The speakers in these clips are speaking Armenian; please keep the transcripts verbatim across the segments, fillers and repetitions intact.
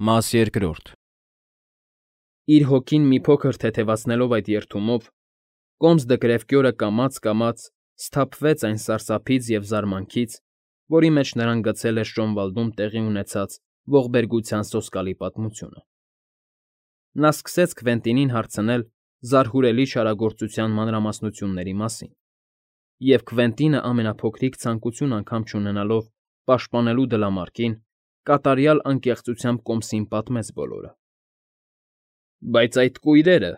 Մաս երկրորդ Իր հոգին մի փոքր թեթևացնելով այդ երդումով, կոմս դկրեվկյորը կամաց֊կամաց սթափվեց այն սարսափից և զարմանքից, որի մեջ նրան գցել էր Շոնվալդում տեղի ունեցած ողբերգության սոսկալի պատմությունը. նա սկսեց Քվենտինին հարցնել զարհուրելի չարագործության մանրամասնությունների մասին, և Քվենտինը ամենափոքրիկ ցանկություն անգամ չունենալով պաշտպանելու դլամարկին, կատարյալ անկեղծությամբ կոմսին պատմեց բոլորը։ ֊ Բայց այդ կույրերը,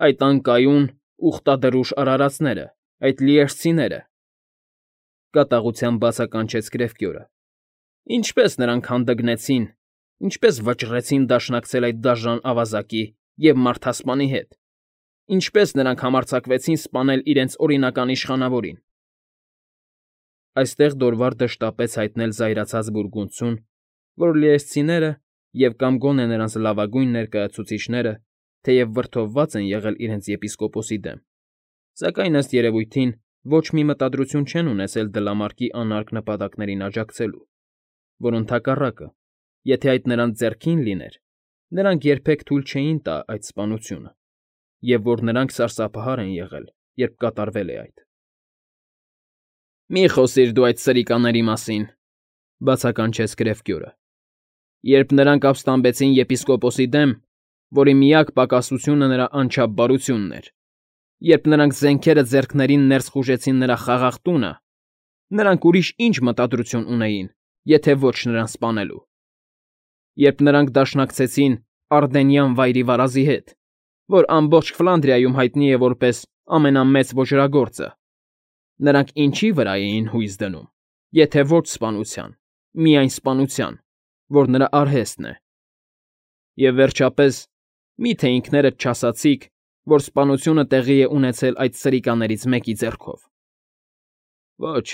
այդ անկայուն, ուխտադրուժ արարածները, այդ լիերսցիները,֊ կատաղությամբ բացականչեց կրևկյորը,֊ ինչպե՞ս նրանք հանդգնեցին, ինչպե՞ս վճռեցին դաշնակցել այդ դաժան ավազակի և մարդասպանի հետ, ինչպե՞ս նրանք համարձակվեցին սպանել իրենց օրինական իշխանավորին… Այստեղ Դորվարդը շտապեց հայտնել զայրացած բուրգունդցուն, որ լիերսցիները և կամ գոնե նրանց լավագույն ներկայացուցիչները թեև վրդովված են եղել իրենց եպիսկոպոսի դեմ, սակայն, ըստ երևույթին, ոչ մի մտադրություն չեն ունեցել դլամարկի անարգ նպատակներին աջակցելու, որ, ընդհակառակը, եթե այդ նրանց ձեռքին լիներ, նրանք երբեք թույլ չէին տա այդ սպանությունը, և որ նրանք սարսափահար են եղել, երբ կատարվել է այդ։ ֊ Մի խոսիր դու այդ սրիկաների մասին,֊ բացականչեց կրևկյորը,֊ երբ նրանք ապստամբեցին եպիսկոպոսի դեմ, որի միակ պակասությունը նրա անչափ բարությունն էր, երբ նրանք զենքերը ձեռքներին ներս խուժեցին նրա խաղաղ տունը, նրանք ուրիշ ի՞նչ մտադրություն ունեին, եթե ոչ նրան սպանելու, երբ նրանք դաշնակցեցին Արդենյան վայրիվարազի հետ, որ ամբողջ Ֆլանդրիայում հայտնի է որպես ամենամեծ ոճրագործը, նրանք ինչի՞ վրա էին հույս դնում, եթե ոչ սպանության, միայն սպանության, որ նրա արհեստն է… Եվ, վերջապես, մի՞թե ինքներդ չասացիք, որ սպանությունը տեղի է ունեցել այդ սրիկաներից մեկի ձեռքով… Ոչ,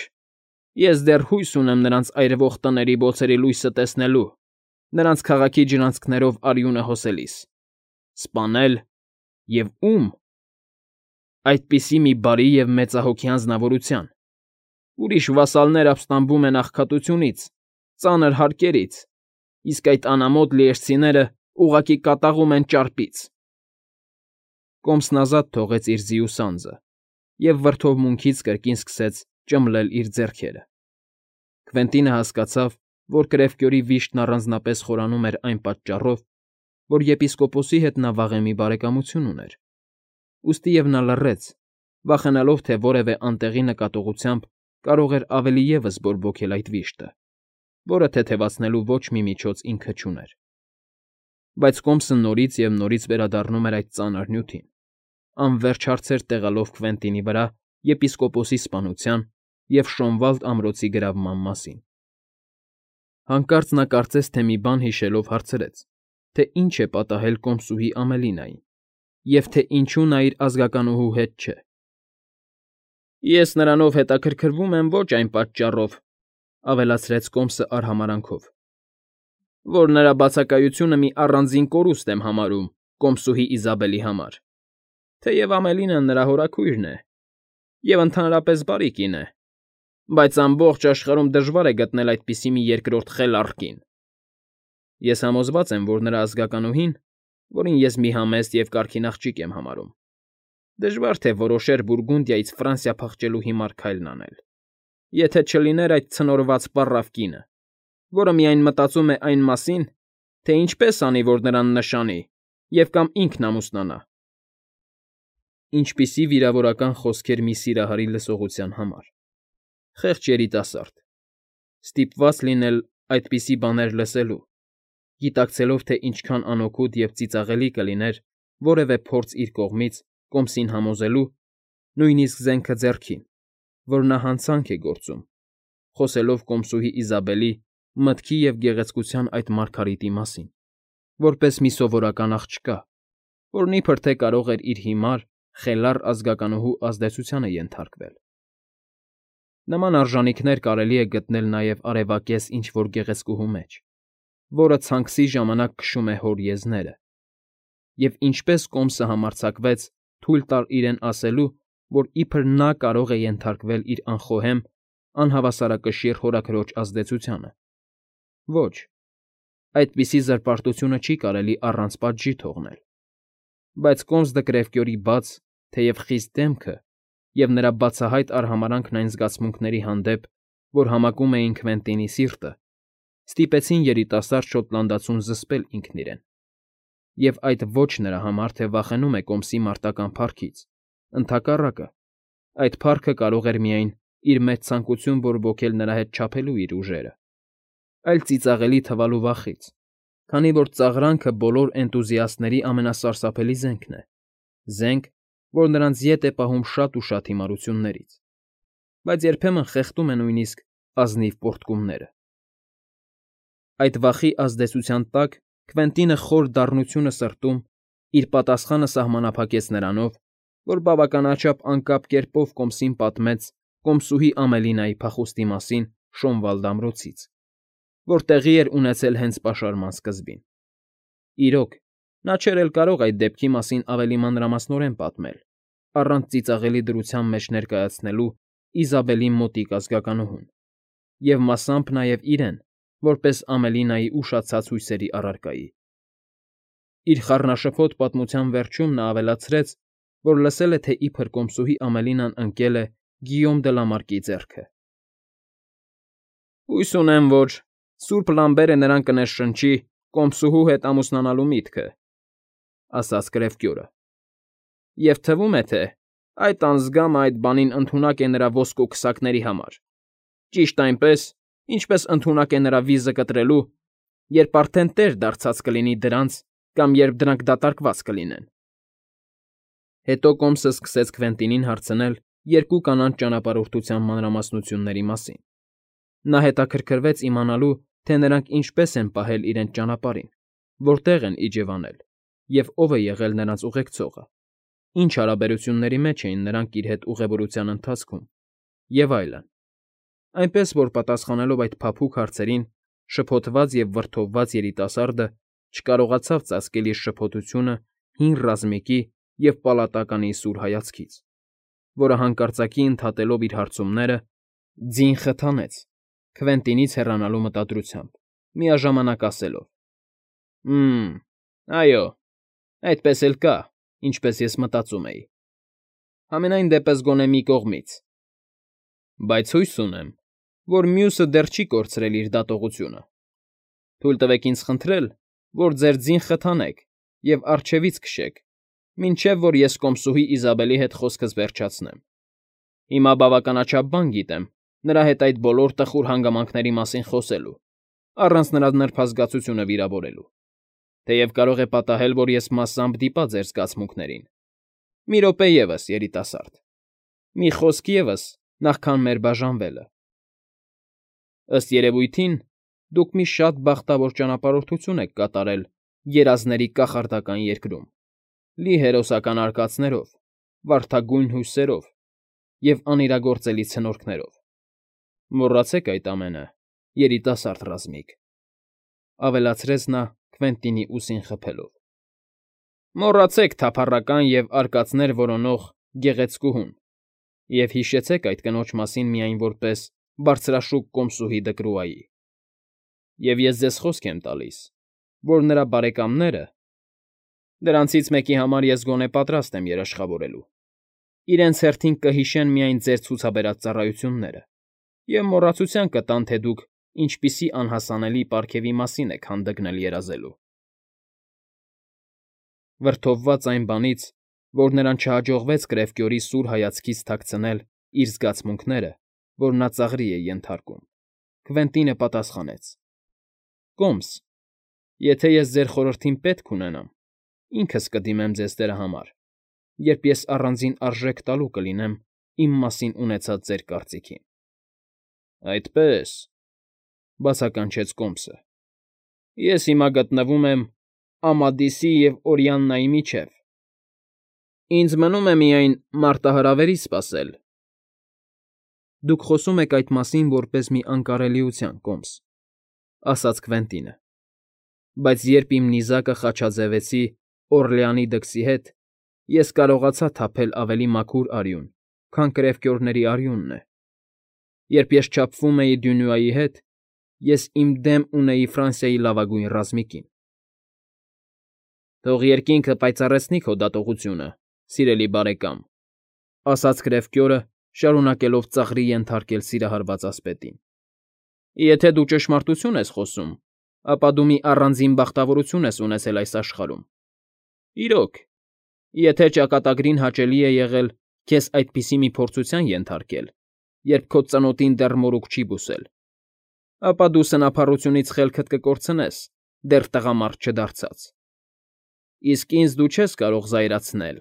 ես դեռ հույս ունեմ նրանց այրվող տների բոցերի լույսը տեսնելու, նրանց քաղաքի ջրանցքներով արյունը հոսելիս… Սպանել… և ո՞ւմ… Այդպիսի մի բարի և մեծահոգի անձնավորության… Ուրիշ վասալներ ապստամբում են աղքատությունից, ծանր հարկերից, իսկ այդ անամոթ լիերսցիները ուղղակի կատաղում են ճարպից… Կոմսն ազատ թողեց իր ձիու սանձը և վրդովմունքից կրկին սկսեց ճմլել իր ձեռքերը… Քվենտինը հասկացավ, որ կրևկյորի վիշտն առանձնապես խորանում էր այն պատճառով, որ եպիսկոպոսի հետ նա վաղեմի բարեկամություն ուներ, ուստիև նա լռեց, վախենալով, թե որևէ անտեղի նկատողությամբ կարող էր ավելի ևս բորբոքել այդ վիշտը, որը թեթևացնելու ոչ մի միջոց ինքը չուներ… Բայց կոմսը նորից և նորից վերադառնում էր այդ ծանր նյութին, անվերջ հարցեր տեղալով Քվենտինի վրա եպիսկոպոսի սպանության և Շոնվալդ ամրոցի գրավման մասին… Հանկարծ նա կարծես թե մի բան հիշելով հարցրեց, թե ինչ է պատահել կոմսուհի Ամելինային և թե ինչու նա իր ազգականուհու հետ չէ։ ֊ Ես նրանով հետաքրքրվում եմ ոչ այն պատճառով,֊ ավելացրեց կոմսը արհամարհանքով,֊ որ նրա բացակայությունը մի առանձին կորուստ եմ համարում կոմսուհի Իզաբելի համար, թեև Ամելինան նրա հորաքույրն է և ընդհանրապես բարի կին է, բայց ամբողջ աշխարհում դժվար է գտնել այդպիսի մի երկրորդ խելառ կին… Ես համոզված եմ, որ նրա ազգականուհին, որին ես մի համեստ և կարգին աղջիկ եմ համարում, դժվար թե որոշեր Բուրգունդիայից Ֆրանսիա փախչելու հիմար քայլն անել, եթե չլիներ այդ ցնորված պառավ կինը, որը միայն մտածում է այն մասին, թե ինչպես անի, որ նրան նշանի և կամ ինքն ամուսնանա… Ինչպիսի վիրավորական խոսքեր մի սիրահարի լսողության համար… Խեղճ երիտասարդ… Ստիպված լինել այդպիսի բաներ լսելու, գիտակցելով, թե ինչքան անօգուտ և ծիծաղելի կլիներ որևէ փորձ իր կողմից կոմսին համոզելու, նույնիսկ զենքը ձեռքին, որ նա հանցանք է գործում, խոսելով կոմսուհի Իզաբելի, մտքի և գեղեցկության այդ մարգարիտի մասին, որպես մի սովորական աղջկա, որն իբրև թե կարող էր իր հիմար, խելառ ազգականուհու ազդեցությանը ենթարկվել… Նման արժանինքներ կարելի է գտնել նաև արևակեզ ինչ֊որ գեղեցկուհու մեջ, որը ցանքսի ժամանակ քշում է հոր եզները, և ինչպես կոմսը համարձակվեց թույլ տալ իրեն ասելու, որ իբր նա կարող է ենթարկվել իր անխոհեմ, անհավասարակշիռ հորաքրոջ ազդեցությանը… Ոչ, Այդպիսի զրպարտությունը չի կարելի առանց պատժի թողնել։ Բայց Կոմս Դկրևկյորի բաց, թեև խիստ դեմքը և նրա բացահայտ արհամարհանքն այն զգացմունքների հանդեպ, որ համակում էին Քվենտինի սիրտը, ստիպեցին երիտասարդ շոտլանդացուն զսպել ինքն իրեն։ Եվ այդ ոչ նրա համար, թե վախենում է Կոմսի մարտական փառքից, ընդհակառակը, այդ փառքը կարող էր միայն իր մեջ ցանկություն բորբոքել նրա հետ չափելու իր ուժերը, այլ ծիծաղելի թվալու վախից, քանի որ ծաղրանքը բոլոր էնտուզիաստների ամենասարսափելի զենքն է, զենք, որ նրանց ետ է պահում շատ ու շատ հիմարություններից, բայց երբեմն խեղդում է նույնիսկ ազնիվ պոռթկումները։ Այդ վախի ազդեցության տակ Քվենտինը խոր դառնությունը սրտում իր պատասխանը սահմանափակեց նրանով, որ բավականաչափ անկապ կերպով Կոմսին պատմեց կոմսուհի Ամելինայի փախուստի մասին Շոնվալդ ամրոցից, որ տեղի էր ունեցել հենց պաշարման սկզբին։ Իրոք, նա չէր էլ կարող այդ դեպքի մասին ավելի մանրամասնորեն պատմել, առանց ծիծաղելի դրության մեջ ներկայացնելու Իզաբելի մոտիկ ազգականուհուն, և մասամբ նաև իրեն, որպես Ամելինայի ուշացած հույսերի առարկայի։ Իր խառնաշփոթ պատմության վերջում նա ավելացրեց, որ լսել է, թե իբր կոմսուհի Ամելինան ընկել է Գիյոմ դը Լամարկի ձեռքը։ «Հույս ունեմ, որ սուրբ լամբերը նրան կներշնչի կոմսուհու հետ ամուսնանալու միտքը», ֊ ասաց Կրևկյորը։ «Եվ թվում է, թե այդ անձգամը այդ բանին ընդունակ է նրա ոսկու քսակների համար, ճիշտ այնպես, ինչպես ընդունակ է նրա վիզը կտրելու, երբ արդեն տեր դարձած կլինի դրանց կամ երբ դրանք դատարկված կլինեն»։ Հետո Կոմսը սկսեց Քվենտինին հարցնել երկու կանանց ճանապարհորդության մանրամասնությունների մասին։ Նա հետաքրքրվեց իմանալու, թե նրանք ինչպես են պահել իրենց ճանապարհին, որտեղ են իջևանել և ով է եղել նրանց ուղեկցողը, ինչ հարաբերությունների մեջ էին նրանք իր հետ ուղևորության ընթացքում և այլն, այնպես որ պատասխանելով այդ փափուկ հարցերին, շփոթված և վրդովված երիտասարդը չկարողացավ ծածկել իր շփոթությունը հին ռազմիկի և պալատականի սուր հայացքից, որը հանկարծակի ընդհատելով իր հարցումները, ձին խթանեց Քվենտինից հեռանալու մտադրությամբ, միաժամանակ ասելով. «Հը՜մ, այո, այդպես էլ կա, ինչպես ես մտածում էի, համենայն դեպս գոնե մի կողմից, բայց հույս ունեմ, որ մյուսը դեռ չի կորցրել իր դատողությունը։ Թույլ տվեք ինձ խնդրել, որ ձեր ձին խթանեք և առջևից քշեք, մինչև որ ես կոմսուհի Իզաբելի հետ խոսքս վերջացնեմ։ Հիմա բավականաչափ բան գիտեմ նրա հետ այդ բոլոր տխուր հանգամանքների մասին խոսելու, առանց նրա նրբազգացությունը վիրավորելու, թեև կարող է պատահել, որ ես մասամբ դիպա ձեր զգացմունքներին։ Մի րոպե ևս, երիտասարդ, մի խոսք ևս, նախքան մեր բաժանվելը։ Ըստ երևույթին, դուք մի շատ բախտավոր ճանապարհորդություն եք կատարել երազների կախարդական երկրում, լի հերոսական արկածներով, վարդագույն հույսերով և անիրագործելի ցնորքներով։ Մոռացեք այդ ամենը, երիտասարդ ռազմիկ, ֊ ավելացրեց նա Քվենտինի ուսին խփելով։ Մոռացեք թափառական և արկածներ որոնող գեղեցկուհուն և հիշեցեք այդ կնոջ մասին միայն որպես բարձրաշուք կոմսուհի Դկրուայի։ Եվ ես ձեզ խոսք եմ տալիս, որ նրա բարեկամները (դրանցից մեկի համար ես գոնե պատրաստ եմ երաշխավորելու) իրենց հերթին կհիշեն միայն ձեր ցուցաբերած ծառայությունները և մոռացության կտան, թե դուք ինչպիսի անհասանելի պարգևի մասին եք հանդգնել երազելու։ Վրդովված այն բանից, որ նրան չհաջողվեց Կրևկյորի սուր հայացքից թաքցնել իր զգացմունքները, որ նա ծաղրի է ենթարկում, Քվենտինը պատասխանեց. «Կոմս, եթե ես ձեր խորհրդին պետք ունենամ, ինքս կդիմեմ ձեզ դրա համար, երբ ես առանձին արժեք տալու կլինեմ իմ մասին ունեցած ձեր կարծիքին»։ ֊ Այդպե՜ս, ֊ բացականչեց Կոմսը, ֊ ես հիմա գտնվում եմ Ամադիսի և Օրիաննայի միջև. ինձ մնում է միայն մարտահրավերից սպասել։ ֊ Դուք խոսում եք այդ մասին որպես մի անկարելիության, Կոմս, ֊ ասաց Քվենտինը, ֊ բայց երբ իմ նիզակը խաչաձևեցի Օռլեանի դքսի հետ, ես կարողացա թափել ավելի մաքուր արյուն, քան կրևկյորների արյունն է։ Երբ ես չափվում էի Դյունուայի հետ, ես իմ դեմ ունեի Ֆրանսիայի լավագույն ռազմիկին։ Թող երկինքը պայծառեցնի քո դատողությունը, սիրելի բարեկամ, ասաց գրեֆկյորը, շարունակելով ծաղրի ենթարկել սիրահարված ասպետին։ Եթե դու ճշմարտություն ես խոսում, ապա դու մի առանձին բախտավորություն ես ունեցել այս աշխարհում։ Իրոք, եթե ճակատագրին հաճելի է եղել քեզ այդպիսի մի փորձության ենթարկել, երբ քո ծնոտին դեռ մորուք չի բուսել, ապա դու սնափառությունից խելքդ կկորցնես, դեռ տղամարդ չդարձած։ Իսկ ինձ դու չես կարող զայրացնել,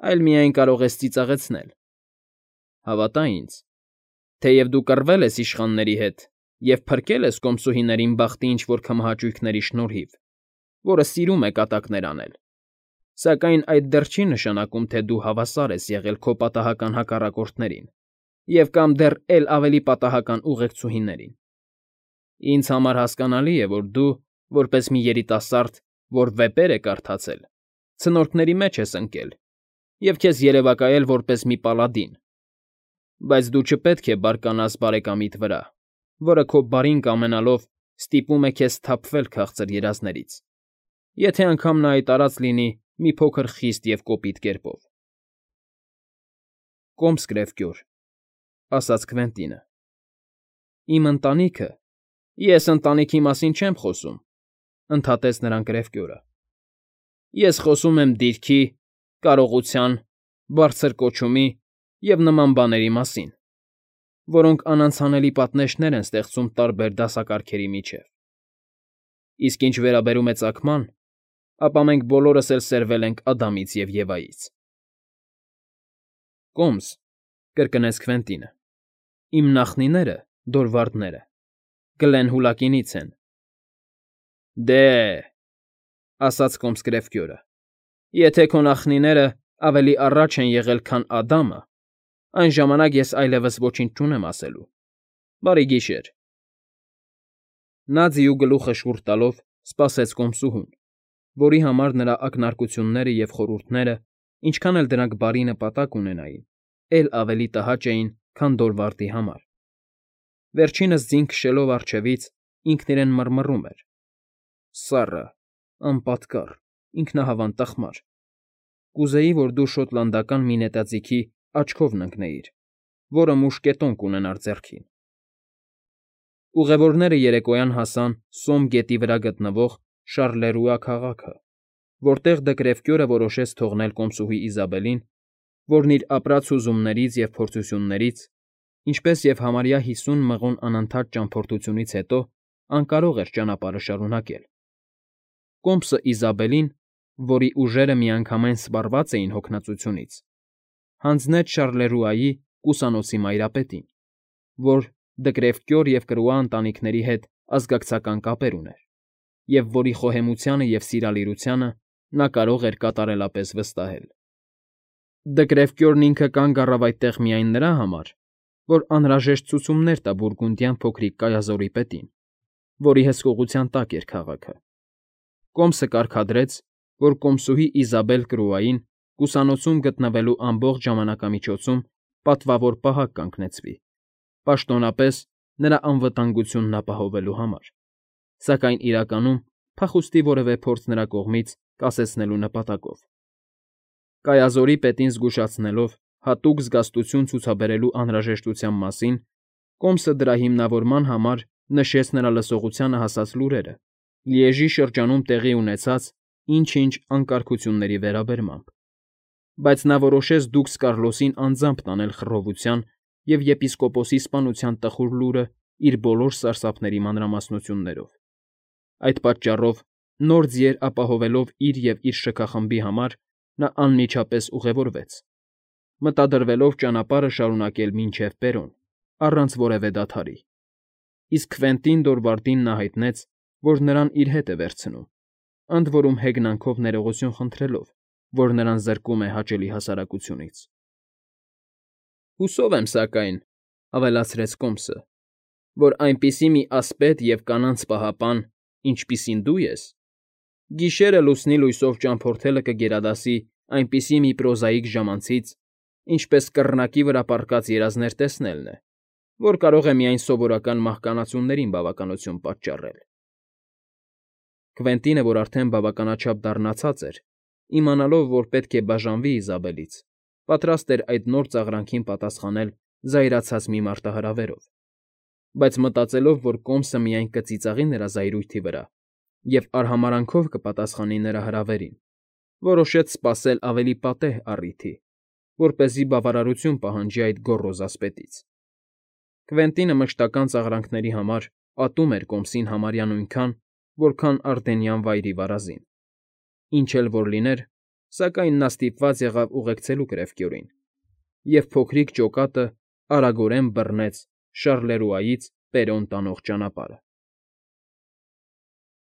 այլ միայն կարող ես ծիծաղեցնել։ Հավատա ինձ, թեև դու կռվել ես իշխանների հետ և փրկել ես կոմսուհիներին բախտի ինչ֊որ քմահաճույքների շնորհիվ, որը սիրում է կատակներ անել, սակայն այդ դեռ չի նշանակում, թե դու հավասար ես եղել քո պատահական հակառակորդներին և կամ դեռ էլ ավելի պատահական ուղեկցուհիներին։ Ինձ համար հասկանալի է, որ դու, որպես մի երիտասարդ, որ վեպեր է կարդացել, ցնորքների մեջ ես ընկել և քեզ երևակայել որպես մի պալադին, բայց դու չպետք է բարկանաս բարեկամիդ վրա, որը քո բարին կամենալով ստիպում է քեզ սթափվել քաղցր երազներից, եթե անգամ նա այդ արած լինի մի փոքր խիստ և կոպիտ կերպով։ Կոմս գրեֆկյոր, ասաց Քվենտինը։ Իմ ընտանիքը, ես ընտանիքի մասին չեմ խոսում, ընդհատեց նրան գրեֆկյորը։ Ես խոսում եմ դիրքի, կարողության, բարձր կոչումի և նման բաների մասին, որոնք անանցանելի պատնեշներ են ստեղծում տարբեր դասակարգերի միջև։ Իսկ ինչ վերաբերում է ծագման, ապա մենք բոլորս էլ սերվել ենք Ադամից և Եվայից։ Կոմս, կրկնեց Քվենտինը, իմ նախնիները, դորվարդները, Գլեն Հուլակինից են։ Դե,֊ ասաց կոմս գրեֆկյորը,֊ եթե քո նախնիները ավելի առաջ են եղել, քան Ադամը, այն ժամանակ ես այլևս ոչինչ չունեմ ասելու։ Բարի գիշեր։ Նա ձիու գլուխը շուռ տալով սպասեց կոմսուհուն, որի համար նրա ակնարկությունները և խորհուրդները, ինչքան էլ դրանք բարի նպատակ ունենային, էլ ավելի տհաճ էին, քան Դորվարդի համար։ Վերջինս ձին քշելով առջևից ինքն իրեն մռմռում էր. Սառը, անպատկառ, ինքնահավան տխմար, կուզեի, որ դու շոտլանդական մի նետաձիգի աչքովն ընկնեիր, որը մուշկետոն կունենար ձեռքին։ Ուղևորները երեկոյան հասան Սոմ գետի վրա գտնվող Շառլերուա քաղաքը, որտեղ Դը Գրեֆկյորը որոշեց թողնել կոմսուհի Իզաբելին, որն իր ապրած հուզումներից և փորձություններից, ինչպես և համարյա հիսուն մղոն անընդհատ ճամփորդությունից հետո անկարող էր ճանապարհը շարունակել։ Կոմսը Իզաբելին, որի ուժերը միանգամայն սպառված էին հոգնածությունից, հանձնեց Շառլերուայի կուսանոցի մայրապետին, որ Դը Գրեֆկյոր և Կրուա ընտանիքների հետ ազգակցական կապեր ուներ, և որի խոհեմությանը և սիրալիրությանը նա կարող էր կատարելապես վստահել։ Դը Գրեֆկյորն ինքը կանգ առավ այդտեղ միայն նրա համար, որ անհրաժեշտ ցուցումներ տա բուրգունդյան փոքրիկ կայազորի պետին, որի հսկողության տակ էր քաղաքը։ Կոմսը կարգադրեց, որ կոմսուհի Իզաբել Կրուային կուսանոցում գտնվելու ամբողջ ժամանակամիջոցում պատվավոր պահակ կանգնեցվի, պաշտոնապես նրա անվտանգությունն ապահովելու համար, սակայն իրականում փախուստի որևէ փորձ նրա կողմից կասեցնելու նպատակով։ Կայազորի պետին զգուշացնելով հատուկ զգաստություն ցուցաբերելու անհրաժեշտության մասին, Կոմսը դրա հիմնավորման համար նշեց նրա լսողությանը հասած լուրերը Լիեժի շրջանում տեղի ունեցած ինչ֊ինչ անկարգությունների վերաբերմամբ, բայց նա որոշեց դուքս Կարլոսին անձամբ տանել խռովության և եպիսկոպոսի սպանության տխուր լուրը իր բոլոր սարսափների մանրամասնություններով։ Այդ պատճառով, նոր ձիեր ապահովելով իր և իր շքախմբի համար, նա անմիջապես ուղևորվեց, մտադրվելով ճանապարհը շարունակել մինչև Պերոն, առանց որևէ դադարի, իսկ Քվենտին Դորվարդին նա հայտնեց, որ նրան իր հետ է վերցնում, ընդ որում հեգնանքով ներողություն խնդրելով, որ նրան զրկում է հաճելի հասարակությունից։ Հուսով եմ, սակայն, ավելացրեց Կոմսը, որ այնպիսի մի ասպետ և կանանց պահապան, ինչպիսին դու ես, գիշերը լուսնի լույսով ճամփորդելը կգերադասի այնպիսի մի պրոզաիկ ժամանցից, ինչպես կռնակի վրա պառկած երազներ տեսնելն է, որ կարող է միայն սովորական մահկանացուներին բավականություն պատճառել։ Կվենտինը, որ արդեն բավականաչափ դառնացած էր, իմանալով, որ պետք է բաժանվի Իզաբելից, պատրաստ էր այդ նոր ծաղրանքին պատասխանել զայրացած մի մարտահրավերով, բայց մտածելով, որ կոմսը միայն կծիծաղի նրա զայրույթի վրա և արհամարհանքով կպատասխանի նրա հրավերին, որոշեց սպասել ավելի պատեհ առիթի, որպեսզի բավարարություն պահանջի այդ գոռոզ ասպետից։ Կվենտինը մշտական ծաղրանքների համար ատում էր կոմսին համարյա նույնքան, որքան Արդենյան վայրի վարազին։ Ինչ էլ որ լիներ, սակայն նա ստիպված եղավ ուղեկցելու կրևկյորին, և փոքրիկ ջոկատը արագորեն բռնեց Շառլերուայից Պերոն տանող ճանապարհը։